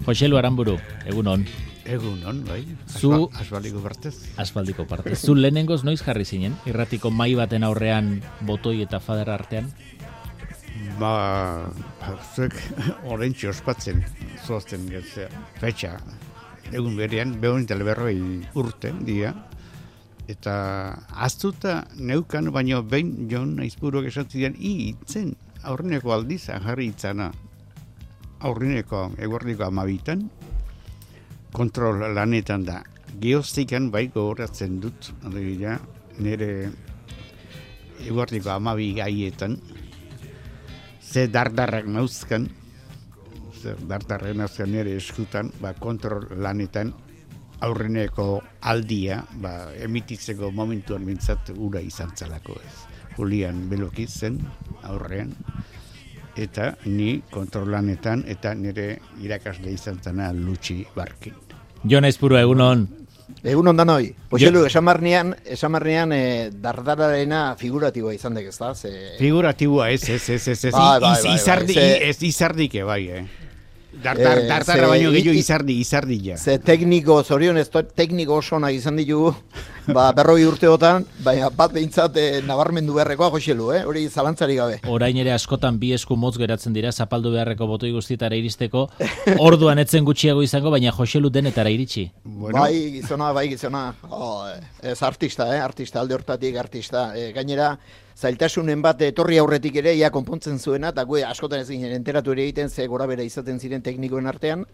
Joselu Aramburu, egunon. Egunon, bai. Zu Asfaldiko partez. Asfaldiko partez. Zu lehenengoz noiz jarri zinen? Irratiko mai baten aurrean botoi eta fadera artean? Zuek orentxe ospatzen, zoazten getzea. Fetxa, egun berean, behon teleberroi urte, dia. Eta aztuta neukan, baina behin Jon Aizpuruak esatzen itzen, aurreneko aldizan jarri itzana. Aurreneko eguerdiko 12 kontrol lanetan da. Geoztikan bai gogoratzen dut, alegia, nire eguerdiko 12 gaietan, ze dardarrak nauzkan, nire eskutan, kontrol lanetan, aurreneko aldia, emititzeko momentuan bintzat ura izan zelako ez. Julian Belokiz zen aurrean, eta ni kontrolanetan, eta nire irakasle izan zena Lutxi Barkin. Jon Aizpurua, egunon. Egunon danoi. Poxelu, esan marnean dardararena figuratiboa izan dek, ez da? Figuratiboa ez. Izardike, bai, Dardarra baino gehiago izardila. Ze tekniko, zorionez, tekniko oso nahi izan ditugu, 40 urteotan, baina bat behintzat nabarmendu beharrekoa, Joselu, hori zalantzari gabe. Orain ere askotan bi esku motz geratzen dira, zapaldu beharreko botoi guztietara iristeko, orduan etzen gutxiago izango, baina Joselu denetara iritsi. Bueno. Bai, gizona. Ez artista, alde hortatik artista. Gainera, zailtasunen bat etorri aurretik ere, ia konpontzen zuena, eta askotan ez ginen enteratu ere egiten, ze gora bera izaten ziren teknikoen artean,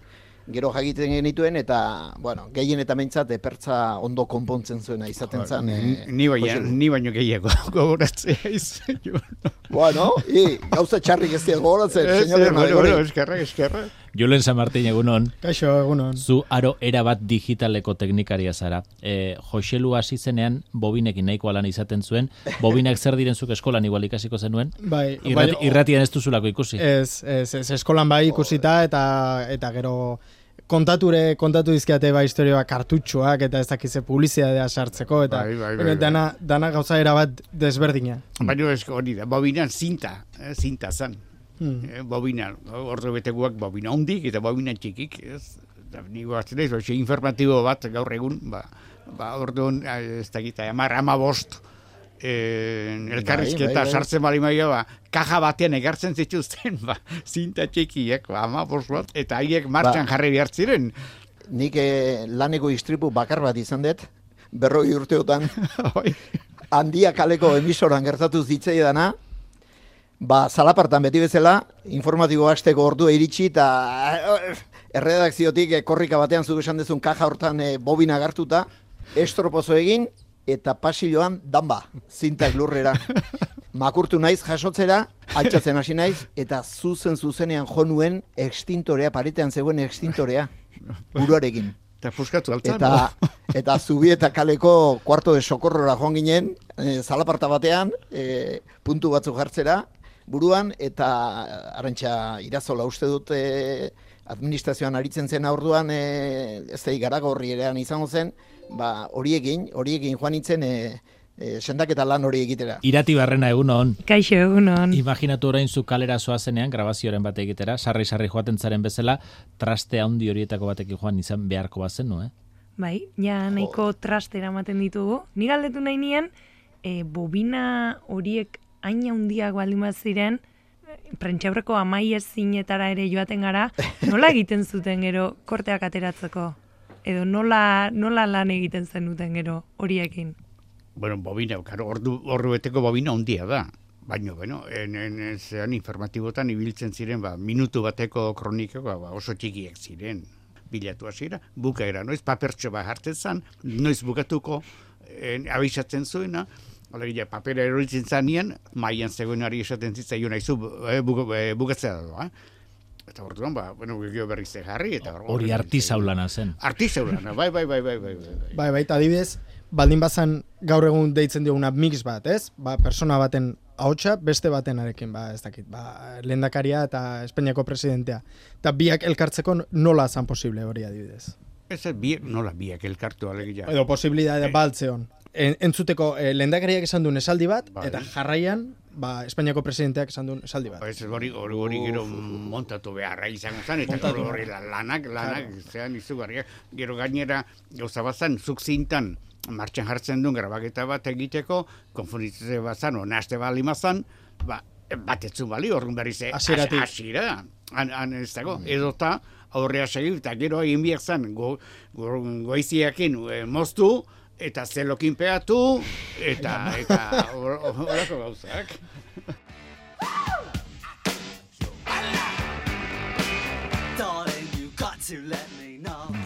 gero jakiten genituen, eta, bueno, gehien eta mentzat pertza ondo konpontzen zuena izaten zen. Ni baino gehiago gogoratzea izan. Bueno, gauza txarrik ez dira gogoratzen, señor. Bueno, eskerra. Julen San Martin, egunon. Kaixo, egunon. Zu aro erabat digitaleko teknikaria zara. Joselu hasi zenean bobinekin nahikoa lan izaten zuen. Bobinak zer diren zuk eskolan igual ikasiko zenuen? Bai. Irratian ez duzulako ikusi? Ez, eskolan bai ikusita eta gero kontatu dizkiate historioa kartutxoak eta ez dakize publizitatea sartzeko eta dana gauza erabat desberdina. Baina hori da, bobinan zinta zan. Bobina, ordu beteguak bobina hondik eta bobina txikik, nigo hartzen ez, informatibo bat gaur egun, orduan, ez dakita, 15 elkarrizketa sartzen bali maia, kaja batean egartzen zituzten, zinta txikiek, 15 bat, eta haiek martxan jarri behar ziren. Nik laneko istripu bakar bat izan dut, 40 urteotan, Handia kaleko emisoran gertatu zitzaidana, zalapartan beti bezala, informatibo hasteko ordua iritsi, eta erredakziotik korrika batean zuk esan dezun kaja hortan bobina gartuta, estropozo egin, eta pasilloan danba, zintak lurrera. Makurtu naiz jasotzera, altxatzen hasi naiz, eta zuzenean jo nuen extintorea, paretean zegoen extintorea, buruarekin. Eta fuskatu altzan. Eta Zubieta kaleko kuarto de sokorrora joan ginen, zalaparta batean, puntu batzuk jartzera, buruan, eta Arantxa Irazola uste dut administrazioan aritzen zen orduan, ez da Garagorri erean izango zen, horiekin joan nintzen sendaketa lan hori egitera. Irati Barrena, egunon. Kaixo, egunon. Imaginatu orain zu kalera zoazenean, grabazioaren bat egitera, sarri joaten zaren bezala, traste handi horietako batekin joan izan beharko bazen, no, Bai, ja nahiko traste eramaten ditugu. Ni galdetu nahi nien, bobina horiek hain handiak baldin bat ziren, prentxaurreko amaiez zinetara ere joaten gara, nola egiten zuten gero korteak ateratzeko? Edo nola lan egiten zenuten gero horiekin? Bueno, bobina, ordu beteko bobina handia da. Baina, zean informatibotan ibiltzen ziren, minutu bateko kronikak oso txikiek ziren. Bilatu hasiera, bukaera, noiz papertxo bat hartzen zen, noiz bukatuko abisatzen zuena, alegia papera eroritzen zanean, maian zegoenari esaten zitzaion aizu bukatzea da. Eta orduan, gero berriz jarri, eta hori artisaulana zen. Artisaulana, bai. Bai, eta adibidez, baldin bazan gaur egun deitzen dioguna mix bat, ez? Persona baten ahotsa beste batenarekin, ez dakit, lehendakaria eta Espainiako presidentea. Eta biak elkartzeko nola zan posible hori adibidez? Ez nola biak elkartu alegia. Edo posibilidade baltzeon. entzuteko lehendakariak esan duen esaldi bat, eta jarraian, Espainiako presidenteak esan duen esaldi bat. Ez hori gero montatu beharra izango zen, eta hori lanak, zean izugarriak. Gero gainera, gauza bazan, zuk zintan, martxan jartzen duen grabaketa bat egiteko, konfunditzea bazan, naste bali mazan, batetzun bali, horren berri ze, asira, ez dago, edota, aurrea segir, eta gero egin biak zen, goiziakin moztu, eta zelokin peatu, eta horako gauzak.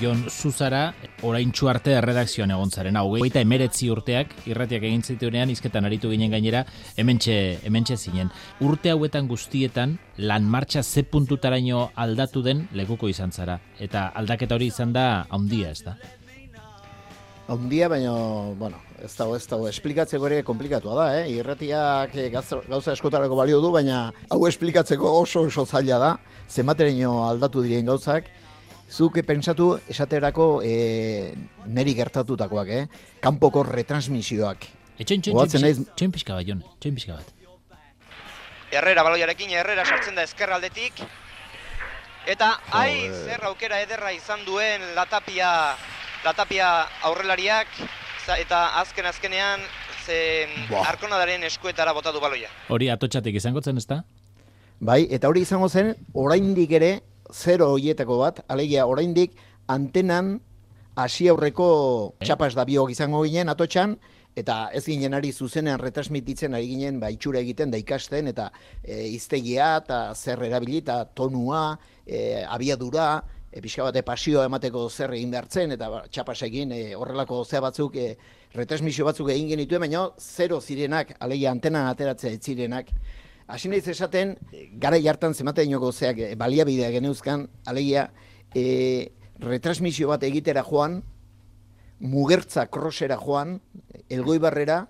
Jon Zuzara, oraintsu arte erredakzioan egon zaren, hau, 39 urteak, irratiak egin zituenean, hizketan aritu ginen gainera, hementxe zinen. Urte hauetan guztietan, lan martxa ze puntutaraino aldatu den lekuko izan zara. Eta aldaketa hori izan da handia, ez da? Handia, baina, bueno, ez dago, esplikatzeko ere komplikatua da, Irratiak gauza eskotarako balio du, baina hau esplikatzeko oso zaila da, zenbateraino aldatu diren gauzak. Zuk pentsatu esaterako neri gertatutakoak, kanpoko retransmisioak. Txoin pixka bat, Jon, txoin pixka bat. Herrera baloiarekin, Herrera sartzen da ezkerraldetik. Eta, zer aukera ederra izan duen Latapia aurrelariak, eta azkenean, Arkonadaren eskuetara botatu baloia. Hori atotxatik izango zen, ez da? Bai, eta hori izango zen, oraindik ere, 0 horietako bat, alegia oraindik antenan hasi aurreko txapas da biok izango ginen atotxan, eta ez ginen ari zuzenean retransmititzen ari ginen itxura egiten da ikasten, eta hiztegia eta zer erabili, eta tonua, abiadura, pixka bate pasioa emateko zer egin behartzen, eta txapasekin horrelako zea batzuk, retransmisio batzuk egin genituen, baina 0 zirenak, alegia antenan ateratzea ez zirenak. Hasi nahiz esaten, gara jartan zemateainoko zeak baliabidea geneuzkan, alegia, retransmisio bat egitera joan, Mugertza krosera joan, Elgoibarrera,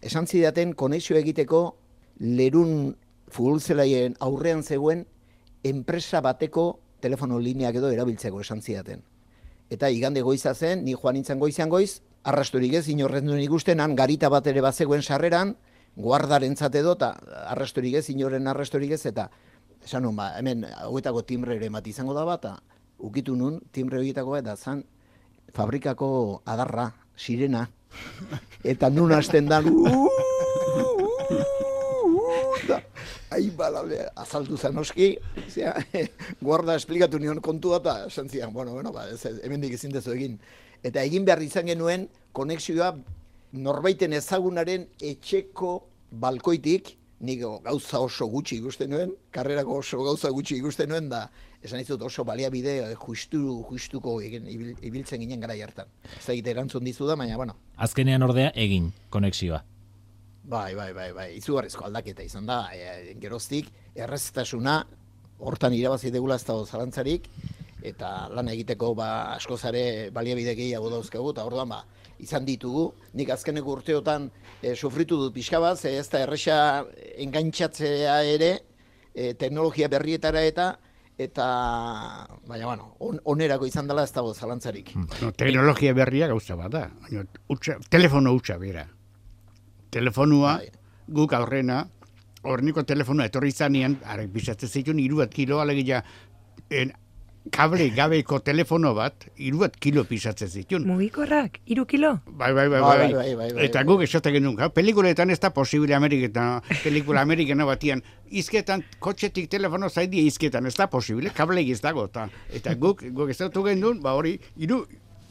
esan zidaten konexio egiteko Lerun futbolzelaien aurrean zegoen enpresa bateko telefono lineak edo erabiltzeko esan zidaten. Eta igande goiza zen, ni joan nintzen goizean goiz, arrastorik ez, inorren duen ikusten, han garita bat ere bat zegoen sarreran, guardarentzat edo, eta arrastorik ez, inoren arrastorik ez, eta esan nun, hemen hauetako timbre ere bat izango da bat, eta ukitu nun, timbre horietako eta zan fabrikako adarra, sirena, eta nun hasten dan, azaldu zen oski, guarda esplikatu nion kontua, eta esan zian, hemendik ezin dezu egin. Eta egin behar izan genuen, konexioa, norbaiten ezagunaren etxeko balkoitik, nik gauza oso gutxi ikusten nuen, karrerako oso gauza gutxi ikusten nuen, da esan izut oso baliabide justuko ibiltzen ginen gara jartan. Ez da egite erantzun dizu da, baina, bueno. Azkenean ordea egin konexioa. Bai, izugarrizko aldaketa izan da, geroztik, erreztasuna, hortan irabazi degula ez dago zalantzarik, eta lan egiteko askozare baliabide gehiago dauzkagu, eta orduan izan ditugu. Nik azkeneko urteotan sufritu dut pixka bat, ez da erresa engaintzatzea ere teknologia berrietara eta baina, onerako izan dela ez dago zalantzarik. Teknologia berria gauza bat da, telefono hutsa bera. Telefonua, guk aurrena, horniko telefonua etorri izanean, arek bizatzen zituen 3 kilo, alegia, kable gabeko telefono bat, 3 kilo pisatzen zituen. Mugikorrak, 3 kilo? Bai. Eta guk esaten genuen, pelikuletan ez da posible pelikula amerikana batian, izketan, kotxetik telefono zaidia izketan, ez da posible, kablegi ez dago. Eta guk ezautu genuen, hori,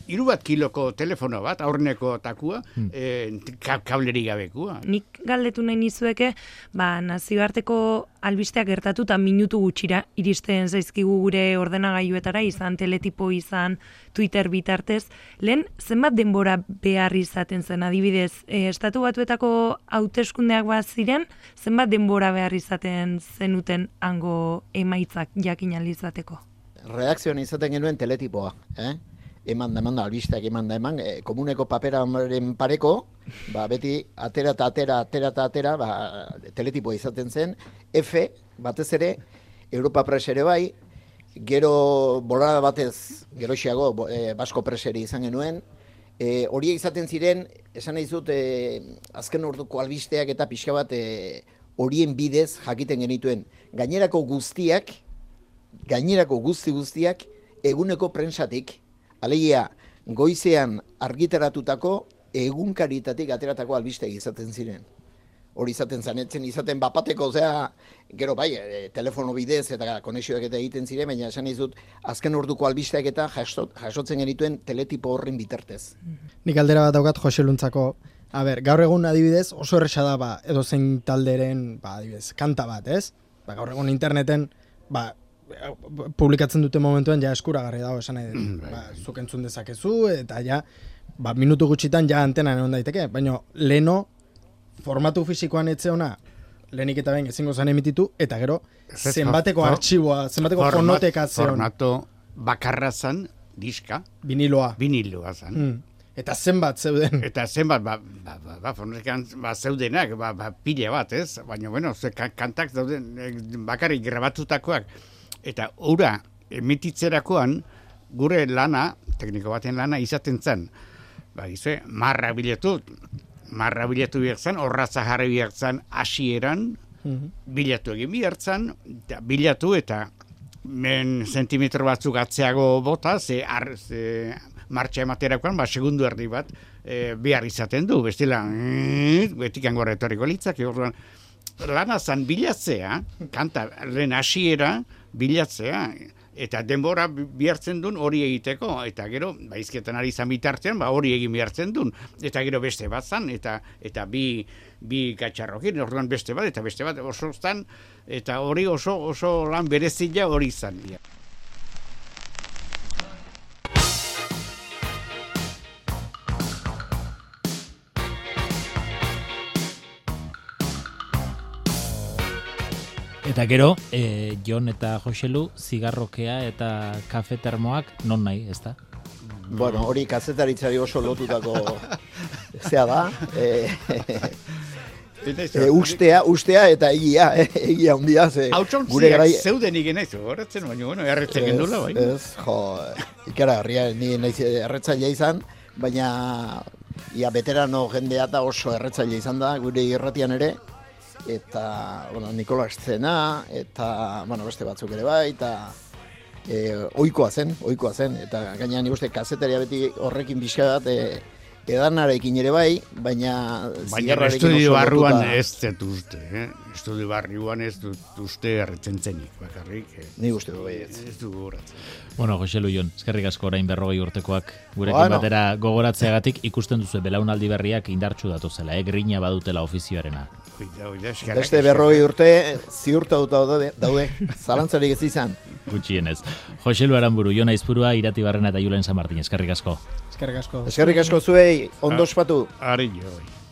3 kiloko telefono bat, aurreneko takua, kableri gabekua. Nik galdetu nahi nizueke, nazioarteko albisteak gertatu eta minutu gutxira iristen zaizkigu gure ordenagailuetara, izan teletipo, izan Twitter bitartez. Lehen, zenbat denbora behar izaten zen, adibidez, Estatu Batuetako hauteskundeak bat ziren, zenbat denbora behar izaten zenuten hango emaitzak jakin alizateko? Redakzioan izaten genuen teletipoa, eman da, albisteak eman, komuneko paperaren pareko, beti atera, teletipoa izaten zen, F, batez ere, Europa Press ere bai, gero bolada batez, geroxiago, Basko Press ere izan genuen, horiek izaten ziren, esan nahi zut, azken orduko albisteak eta pixka bat horien bidez jakiten genituen. Gainerako guztiak, eguneko prentsatik, alegia goizean argitaratutako egunkaritatik ateratako albisteak izaten ziren. Hori izaten zanetzen, izaten bapateko, gero bai, telefono bidez eta konexioak eta egiten ziren, baina esan izut, azken orduko albisteak eta jasotzen genituen teletipo horren bitartez. Nik aldera bat daukat Jose Luntzako, gaur egun adibidez oso erresa da edo zein talderen, adibidez, kanta bat, ez? Gaur egun interneten, publikatzen dute momentuan ja eskuragarri dago esan nahi dut. Zuk entzun dezakezu eta ja, minutu gutxitan ja antenan egon daiteke, baina leno formatu fisikoan etzeona, lehenik eta behin ezingo zen emititu, eta gero zenbateko artxiboa, zenbateko fonoteka zeon. Formato bakarra zan, diska. Viniloa zan. Eta zenbat zeuden. Eta zenbat, fonotekan zeudenak, pila bat, ez? Baina, bueno, kantak dauden bakarrik grabatutakoak. Eta ura emititzerakoan, gure lana, tekniko baten lana, izaten zen. Marra bilatu bihar horratza jarri bihar zen hasieran, bilatu egin bihar zen, bilatu eta sentimetro batzuk atzeago bota, martxa ematerakoan, segundu erdi bat bihar izaten du, bestela, betikan gorra etorriko litzak, lana zen bilatzea, kanta lehen hasiera bilatzea, eta denbora bihartzen duen hori egiteko, eta gero, izketan ari zan bitartean, hori egin bihartzen duen, eta gero beste bat zan, eta bi gatxarrokin, orduan beste bat, eta beste bat oso zan, eta hori oso lan berezila hori zan. Eta gero, Jon eta Joselu, zigarrokea eta kafe termoak non nahi, ez da? Bueno, hori kazetaritzari oso lotutako zea da. Ustea eta egia hundia. Hautsontziak zeuden igen naiz, horretzen, baina, erretzen gendula, bai. Ez, ikaragarria, ni naiz erretzailea izan, baina veterano jendea eta oso erretzailea izan da, gure irratian ere, eta, Nikola Eszena, eta, beste batzuk ere bai, eta ohikoa zen, eta gainean nik uste kazetaria beti horrekin pixka bat edanarekin ere bai, baina zigarrarekin estudio barruan ez dut uste, estudio barruan ez dut uste erretzen zenik, bakarrik. Ni uste du bai ez. Ez du gogoratzen. Bueno, Joselu Jon, eskerrik asko orain 40 urtekoak gurekin batera gogoratzeagatik ikusten duzu belaunaldi berriak indartsu datozela, grina badutela ofizioarena. Beste 40 urte ziurtatuta daude, zalantzarik ez izan. Gutxienez. Joselu Aranburu, Jon Aizpurua, Irati Barrena eta Julen San Martin, eskerrik asko. Eskerrik asko. Eskerrik asko zuei, ondo ospatu. Ari joi.